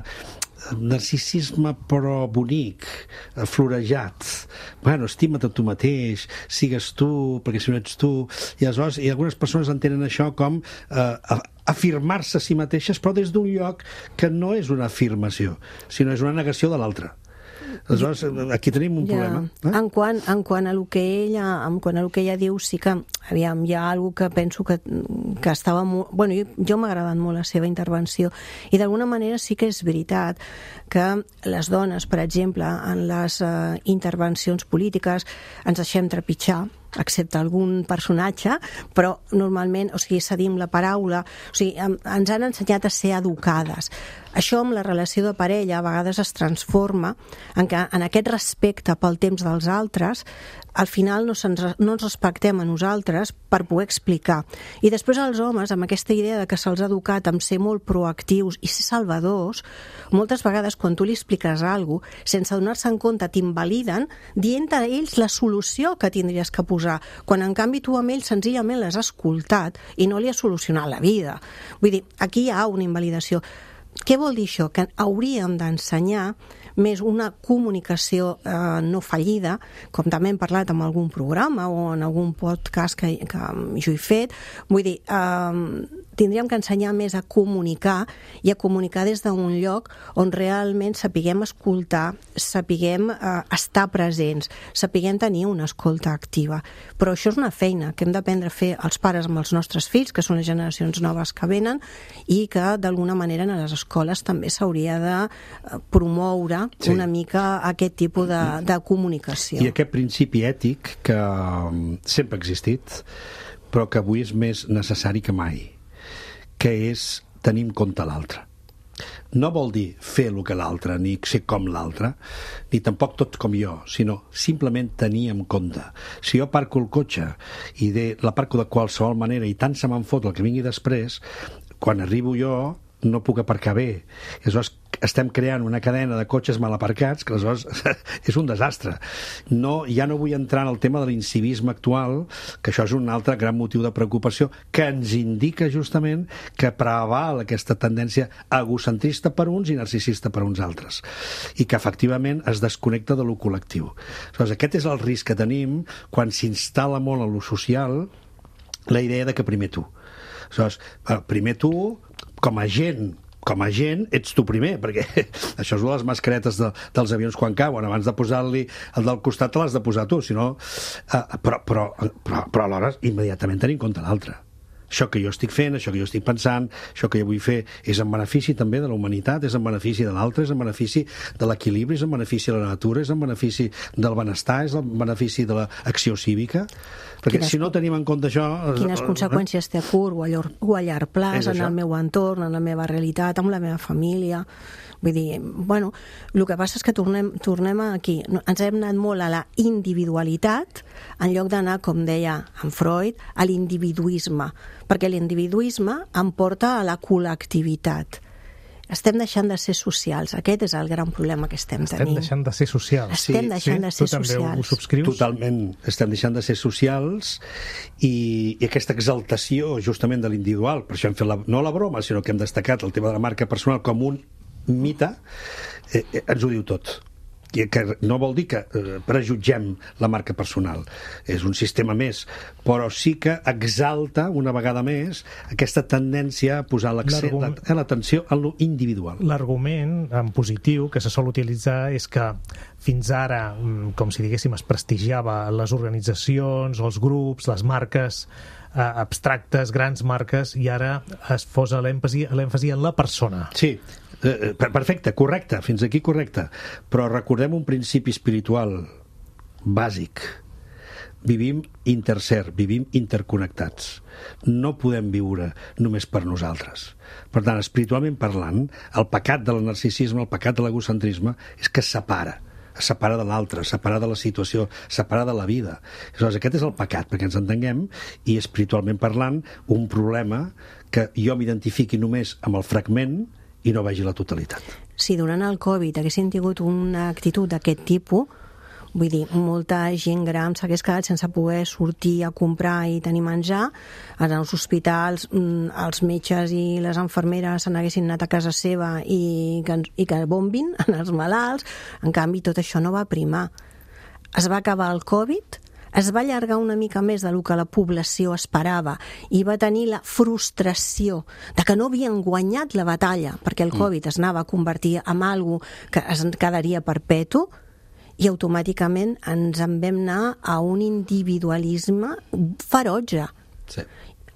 Speaker 3: narcisisme però bonic, florejat. Bueno, estima't a tu mateix, sigues tu, perquè si no ets tu. I aleshores, algunes persones entenen això com afirmar-se a si mateixes, però des d'un lloc que no és una afirmació, sinó és una negació de l'altre. Aleshores, aquí tenim un problema.
Speaker 4: En quant a lo que ella diu, sí que aviam, hi ha alguna que penso que estava molt... Bueno, jo m'ha agradat molt la seva intervenció i d'alguna manera sí que és veritat que les dones, per exemple, en les intervencions polítiques ens deixem trepitjar, excepte algun personatge, però normalment, o sigui, cedim la paraula, o sigui, ens han ensenyat a ser educades. Això amb la relació de parella a vegades es transforma en aquest respecte pel temps dels altres, al final no ens respectem a nosaltres per poder explicar. I després els homes, amb aquesta idea de que se'ls ha educat amb ser molt proactius i ser salvadors, moltes vegades quan tu li expliques alguna cosa, sense donar-se en compte, t'invaliden dient a ells la solució que tindries que posar, quan en canvi tu amb ells senzillament l'has escoltat i no li has solucionat la vida. Vull dir, aquí hi ha una invalidació. Què vol dir això? Que hauríem d'ensenyar més una comunicació no fallida, com també hem parlat en algun programa o en algun podcast que jo he fet. Vull dir, tindríem que ensenyar més a comunicar i a comunicar des d'un lloc on realment sapiguem escoltar, sapiguem estar presents, sapiguem tenir una escolta activa. Però això és una feina que hem d'aprendre a fer els pares amb els nostres fills, que són les generacions noves que venen, i que d'alguna manera a les escoles també s'hauria de promoure una mica aquest tipus de comunicació.
Speaker 3: I aquest principi ètic que sempre ha existit, però que avui és més necessari que mai, que és tenir en compte l'altre. No vol dir fer el que l'altre, ni ser com l'altre, ni tampoc tot com jo, sinó simplement tenir en compte. Si jo parco el cotxe i la parco de qualsevol manera i tant se me'n fot el que vingui després, quan arribo jo no puc aparcar bé. Aleshores, estem creant una cadena de cotxes mal aparcats que aleshores és un desastre. Ja no vull entrar en el tema de l'incivisme actual, que això és un altre gran motiu de preocupació que ens indica justament que preval aquesta tendència egocentrista per uns i narcisista per uns altres, i que efectivament es desconnecta de lo col·lectiu. Aleshores, aquest és el risc que tenim quan s'instal·la molt en lo social la idea de que primer tu. Aleshores, primer tu, com a gent, ets tu primer, perquè això és les mascaretes dels avions quan cauen. Abans de posar-li el del costat te l'has de posar tu, però alhora immediatament tenir en compte l'altre. Això que jo estic fent, això que jo estic pensant, això que jo vull fer és en benefici també de la humanitat, és en benefici de l'altre, és en benefici de l'equilibri, és en benefici de la natura, és en benefici del benestar, és en benefici de l'acció cívica. Perquè si no tenim en compte això...
Speaker 4: Quines conseqüències té a curt o a llarg plaç en el meu entorn, en la meva realitat, amb la meva família... Vull dir, bueno, el que passa és que tornem aquí. Ens hem anat molt a la individualitat en lloc d'anar, com deia en Freud, a l'individuisme, perquè l'individuisme em porta a la col·lectivitat. Estem deixant de ser socials. Aquest és el gran problema que estem tenint.
Speaker 2: Estem deixant de ser socials.
Speaker 4: Estem deixant de ser socials.
Speaker 2: Tu també ho subscrius?
Speaker 3: Totalment. Estem deixant de ser socials i aquesta exaltació justament de l'individual, per això hem fet no la broma, sinó que hem destacat el tema de la marca personal com un mite, ens ho diu tot. Que no vol dir que prejutgem la marca personal, és un sistema més, però sí que exalta una vegada més aquesta tendència a posar l'atenció en lo individual.
Speaker 2: L'argument en positiu que se sol utilitzar és que fins ara, com si diguéssim, es prestigiava les organitzacions, els grups, les marques abstractes, grans marques, i ara es posa l'èmfasi en la persona.
Speaker 3: Sí, perfecte, correcte, fins aquí correcte, però recordem un principi espiritual bàsic. Vivim interser, vivim interconnectats. No podem viure només per nosaltres. Per tant, espiritualment parlant, el pecat del narcisisme, el pecat de l'egocentrisme és que separa de l'altre, separa de la situació, separa de la vida. Aleshores, aquest és el pecat, perquè ens entenguem, i espiritualment parlant, un problema que jo m'identifiqui només amb el fragment i no vegi la totalitat.
Speaker 4: Si durant el Covid haguessin tingut una actitud d'aquest tipus, vull dir, molta gent gran s'hagués quedat sense poder sortir a comprar i tenir menjar, als hospitals els metges i les infermeres se n'haguessin anat a casa seva i que bombin en els malalts. En canvi, tot això no va primar. Es va acabar el Covid, es va allargar una mica més del que la població esperava i va tenir la frustració de que no havien guanyat la batalla, perquè el Covid es anava a convertir en algo que es quedaria perpetu, i automàticament ens en vam anar a un individualisme ferotge.
Speaker 3: Sí.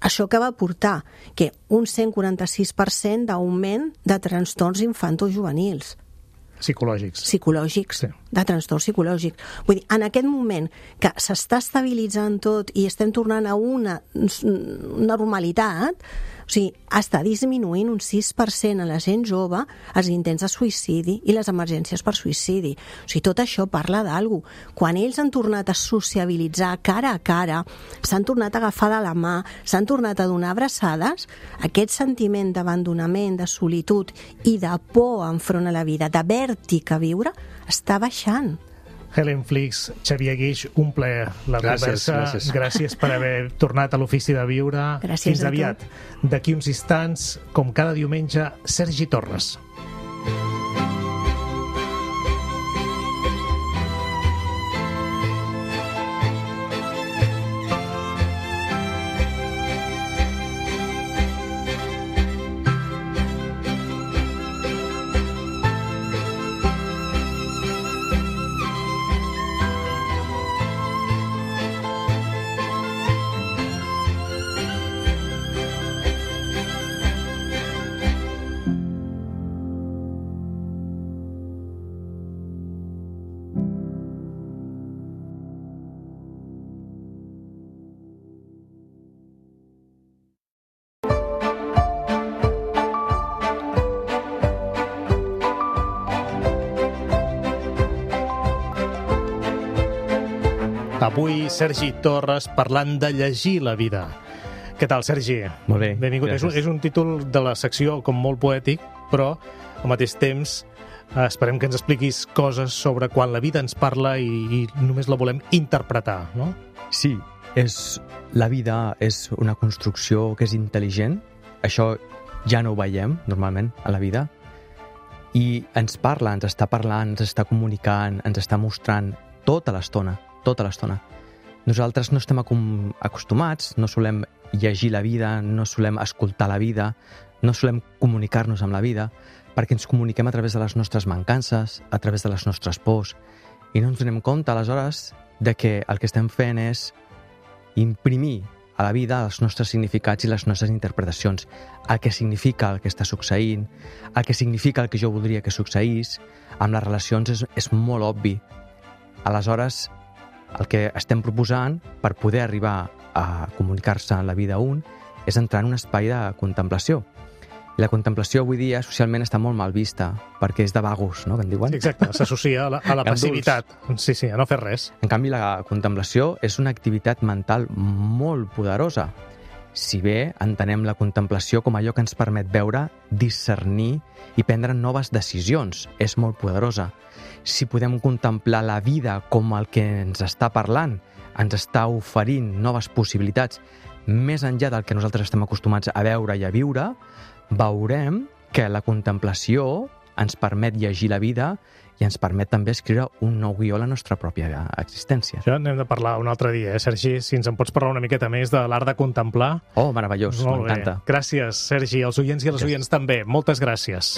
Speaker 4: Això que va portar que un 146% d'augment de trastorns infantojuvenils.
Speaker 2: Psicològics,
Speaker 4: sí. De trastorn psicològic. Vull dir, en aquest moment que s'està estabilitzant tot i estem tornant a una normalitat, o sigui, està disminuint un 6% a la gent jove els intents de suïcidi i les emergències per suïcidi. O sigui, tot això parla d'algú. Quan ells han tornat a sociabilitzar cara a cara, s'han tornat a agafar de la mà, s'han tornat a donar abraçades, aquest sentiment d'abandonament, de solitud i de por enfront a la vida, de vèrtic a viure, està baixant.
Speaker 2: Helen Flix, Xavier Guix, un plaer la conversa. Gràcies per haver tornat a l'Ofici de Viure.
Speaker 4: Gràcies.
Speaker 2: Fins aviat. D'aquí uns instants, com cada diumenge, Sergi Torres. Avui, Sergi Torres parlant de llegir la vida. Què tal, Sergi?
Speaker 6: Molt bé,
Speaker 2: Benvingut. És un títol de la secció com molt poètic, però al mateix temps esperem que ens expliquis coses sobre quan la vida ens parla i només la volem interpretar, no?
Speaker 6: Sí, la vida és una construcció que és intel·ligent. Això ja no ho veiem, normalment, a la vida. I ens parla, ens està parlant, ens està comunicant, ens està mostrant tota l'estona, tota l'estona. Nosaltres no estem acostumats, no solem llegir la vida, no solem escoltar la vida, no solem comunicar-nos amb la vida, perquè ens comuniquem a través de les nostres mancances, a través de les nostres pors, i no ens donem compte, aleshores, de que el que estem fent és imprimir a la vida els nostres significats i les nostres interpretacions, el que significa el que està succeint, el que significa el que jo voldria que succeís. Amb les relacions és molt obvi. Aleshores, el que estem proposant per poder arribar a comunicar-se en la vida un és entrar en un espai de contemplació. I la contemplació avui dia socialment està molt mal vista, perquè és de vagos, no?, que en diuen.
Speaker 2: Exacte, s'associa a la passivitat. Sí, a no fer res.
Speaker 6: En canvi, la contemplació és una activitat mental molt poderosa. Si bé entenem la contemplació com allò que ens permet veure, discernir i prendre noves decisions, és molt poderosa. Si podem contemplar la vida com el que ens està parlant, ens està oferint noves possibilitats, més enllà del que nosaltres estem acostumats a veure i a viure, veurem que la contemplació ens permet llegir la vida i ens permet també escriure un nou guió a la nostra pròpia existència.
Speaker 2: Això n'hem de parlar un altre dia, Sergi? Si ens en pots parlar una miqueta més de l'art de contemplar.
Speaker 6: Oh, meravellós, m'encanta.
Speaker 2: Gràcies, Sergi. Els oients i les oients també. Moltes gràcies.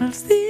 Speaker 7: Els dies